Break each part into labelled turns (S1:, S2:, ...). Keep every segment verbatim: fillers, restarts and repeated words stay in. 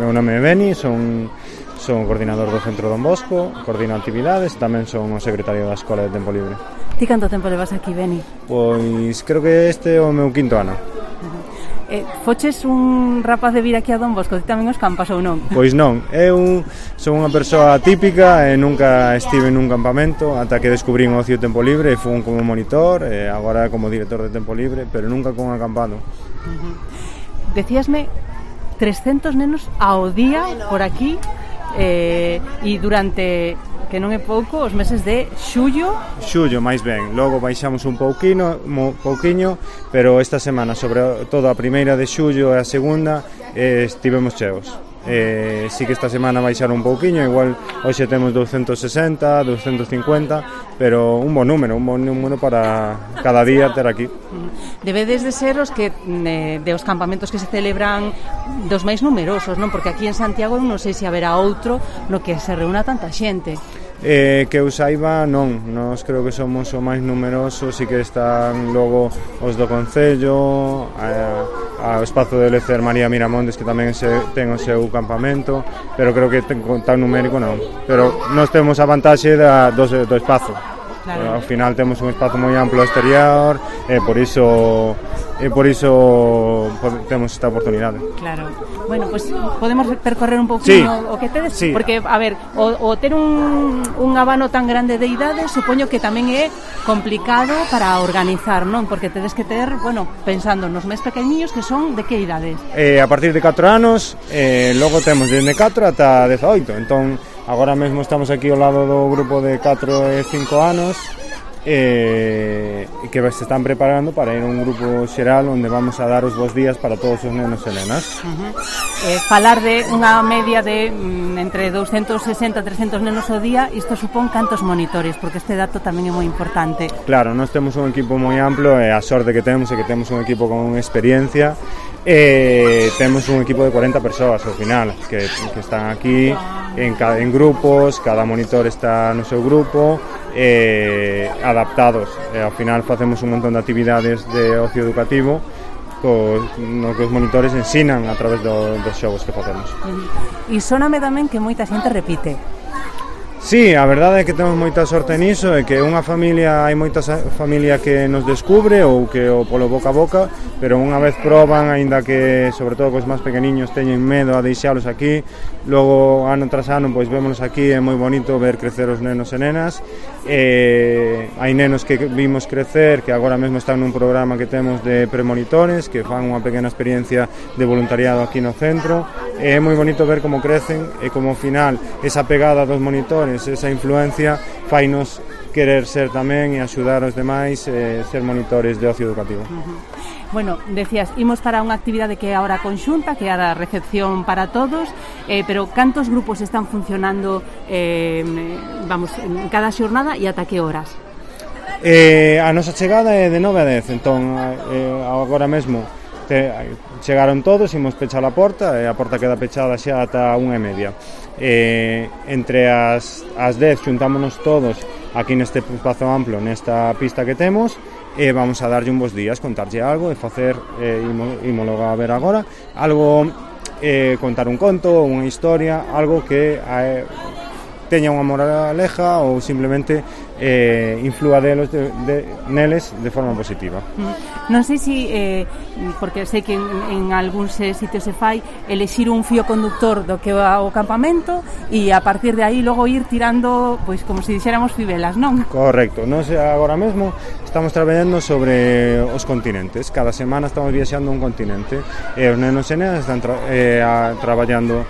S1: meu nome é Beni, son, son coordinador do Centro Don Bosco, coordino actividades, tamén son o secretario da Escola de Tempo Libre.
S2: Ti canto tempo levas aquí, Beni?
S1: Pois creo que este é o meu quinto ano.
S2: Eh, foches un rapaz de vir aquí a Don Bosco, ti tamén os campas ou non?
S1: Pois non, eu son unha persoa típica e nunca estive nun campamento ata que descubrín o ocio tempo libre e fun como monitor e agora como director de tempo libre, pero nunca con acampado.
S2: Uh-huh. Decíasme trescentos nenos ao día por aquí eh, e durante, que non é pouco, os meses de xullo.
S1: Xullo, máis ben. Logo baixamos un pouquino, mo, pouquiño, pero esta semana, sobre todo a primeira de xullo e a segunda, eh, estivemos cheos. Eh, sí que esta semana baixaron un pouquiño, igual hoxe temos doscientos sesenta, doscientos cincuenta, pero un bon número, un bon número para cada día ter aquí.
S2: Debedes de ser os que eh, de os campamentos que se celebran dos máis numerosos, non? Porque aquí en Santiago non sei se haberá outro no que se reúna tanta xente.
S1: Eh, que eu saiba, non, nós creo que somos o máis numerosos e que están logo os do Concello, a, a espazo de Lecer María Miramontes que tamén se, ten o seu campamento, pero creo que ten, tan numérico non, pero nós temos a vantaxe da, do, do espazo. Claro. Ao final temos un espazo moi amplo exterior e por iso e por iso temos esta oportunidade.
S2: Claro. Bueno, pues podemos percorrer un pouquinho
S1: sí.
S2: o que tedes,
S1: sí.
S2: Porque a ver, o, o ter un, un abano tan grande de idades, supoño que tamén é complicado para organizar, non? Porque tedes que ter, bueno, pensando nos máis pequeniños que son de que idades?
S1: Eh, a partir de catro anos, eh, logo temos desde catro ata dezaoito, entón agora mesmo estamos aquí ao lado do grupo de catro e cinco anos e eh, que se están preparando para ir a un grupo xeral onde vamos a dar os bons días para todos os nenos e nenas.
S2: Uh-huh. eh, falar de unha media de mm, entre doscientos sesenta a trescentos nenos ao día, isto supón cantos monitores, porque este dato tamén é moi importante.
S1: Claro, nós temos un equipo moi amplo e a sorte que temos é que temos un equipo con experiencia e temos un equipo de cuarenta persoas ao final que, que están aquí en, cada, en grupos, cada monitor está no seu grupo e adaptados e ao final facemos un montón de actividades de ocio educativo co, no que os monitores ensinan a través do, dos xogos que facemos.
S2: E soname tamén que moita xente repite.
S1: Sí, a verdade é que temos moita sorte niso e que unha familia, hai moita familia que nos descubre ou que o polo boca a boca, pero unha vez proban, aínda que sobre todo cos máis pequeniños teñen medo a deixalos aquí, logo ano tras ano pois vémonos aquí, é moi bonito ver crecer os nenos e nenas e hai nenos que vimos crecer que agora mesmo están nun programa que temos de premonitores que fan unha pequena experiencia de voluntariado aquí no centro e é moi bonito ver como crecen e como ao final esa pegada dos monitores, esa influencia fainos querer ser tamén e axudar aos demais e ser monitores de ocio educativo.
S2: Uh-huh. Bueno, decías, imos para unha actividade que é ahora conxunta, que é a recepción para todos, eh, pero cantos grupos están funcionando eh, vamos, en cada xornada e ata que horas?
S1: Eh, a nosa chegada é de nove a dez, entón eh, agora mesmo te, chegaron todos, imos pechar a porta e a porta queda pechada xa ata unha e media. Eh, entre as, as dez xuntámonos todos aquí neste espazo amplo, nesta pista que temos e vamos a darlle un bons días, contarlle algo e facer, eh, ímolo a ver agora, algo, eh, contar un conto, unha historia, algo que eh, teña unha moraleja ou simplemente eh, inflúa delos de, de, neles de forma positiva.
S2: Non sei se, eh, porque sei que en, en algúns sitios se fai, elexir un fío conductor do que é o campamento e a partir de aí logo ir tirando, pois como se dixéramos fibelas, non?
S1: Correcto, nós agora mesmo estamos traballando sobre os continentes, cada semana estamos viaxando a un continente e os nenos e nenas están tra eh, a, traballando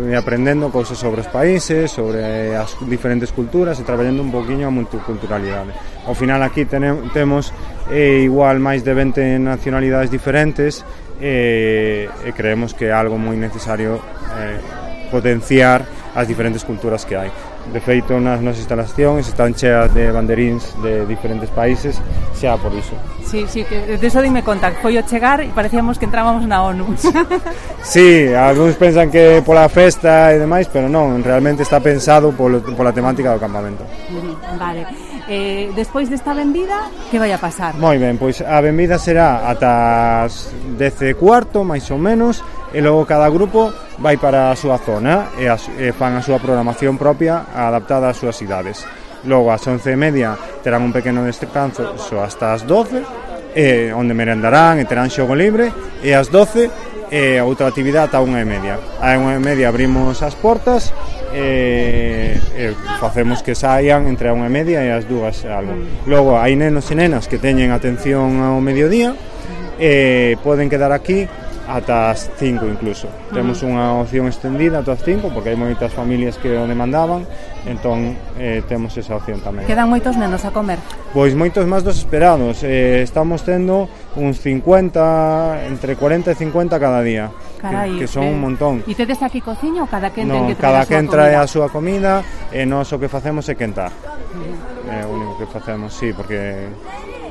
S1: e aprendendo cousas sobre os países, sobre as diferentes culturas e traballando un poquinho a multiculturalidade. Ao final aquí tenem, temos eh, igual máis de vinte nacionalidades diferentes e, e creemos que é algo moi necesario eh, potenciar as diferentes culturas que hai. De feito, nas nosas instalacións están cheas de banderíns de diferentes países, xa por iso.
S2: Sí, sí, que de eso dime conta, foi o chegar e parecíamos que entrábamos na ONU.
S1: Sí, algúns pensan que pola festa e demais, pero non, realmente está pensado polo, pola temática do campamento.
S2: Vale. Eh, despois desta benvida, que vai a pasar?
S1: Moi ben, pois a benvida será ata as dez e cuarto, máis ou menos, e logo cada grupo vai para a súa zona e, as, e fan a súa programación propia adaptada ás súas idades. Logo, ás once e media terán un pequeno descanso hasta as doce, eh, onde merendarán e terán xogo libre, e ás doce e outra actividade ata unha e media. A unha e media abrimos as portas e, e facemos que saian entre a unha e media e as dúas algo. Logo hai nenos e nenas que teñen atención ao mediodía e poden quedar aquí ata as cinco incluso. Uh-huh. Temos unha opción extendida ata as cinco porque hai moitas familias que o demandaban, entón eh, temos esa opción tamén.
S2: Quedan moitos nenos a comer?
S1: Pois moitos máis dos esperados. Eh, estamos tendo uns cincuenta, entre cuarenta e cincuenta cada día.
S2: Carai,
S1: que, que son
S2: eh,
S1: un montón.
S2: E tedes aquí cociña ou cada quen
S1: no,
S2: ten que
S1: traer a súa comida? No, cada quen trae a súa comida e nós o que facemos é quentar. Uh-huh. É o único que facemos, sí, porque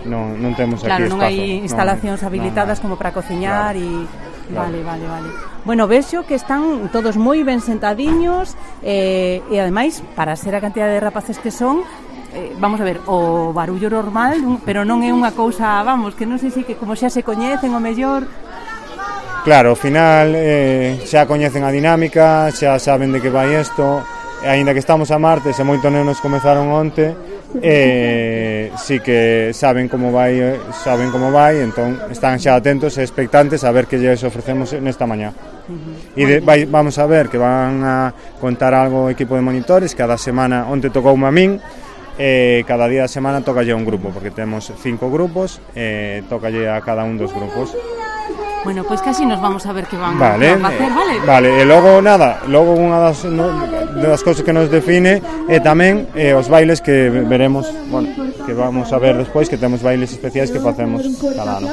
S1: non, non temos
S2: claro,
S1: aquí
S2: espazo.
S1: Claro,
S2: non hai instalacións
S1: non,
S2: habilitadas
S1: non, non.
S2: como para cociñar e...
S1: Claro.
S2: Vale, vale, vale. Bueno, vexo que están todos moi ben sentadiños eh, e ademais, para ser a cantidad de rapaces que son, eh, vamos a ver, o barullo normal, pero non é unha cousa, vamos, que non sei se que como xa se coñecen o mellor.
S1: Claro, ao final eh, xa coñecen a dinámica, xa saben de que vai isto, e aínda que estamos a martes e moitos nenos comezaron onte, eh, sí que saben como vai, saben como vai, entón están xa atentos e expectantes a ver que lles ofrecemos nesta mañá. Uh-huh. E de, vai, vamos a ver que van a contar algo o equipo de monitores, cada semana onte tocou a min, e cada día da semana tocalle un grupo, porque temos cinco grupos e tocalle a cada un dos grupos.
S2: Bueno, pois pues casi nos vamos a ver que van
S1: vale,
S2: a facer, vale?
S1: Vale, e logo nada, logo unha das, no, das cousas que nos define é tamén eh, os bailes que veremos, bueno, que vamos a ver despois, que temos bailes especiais que facemos cada ano.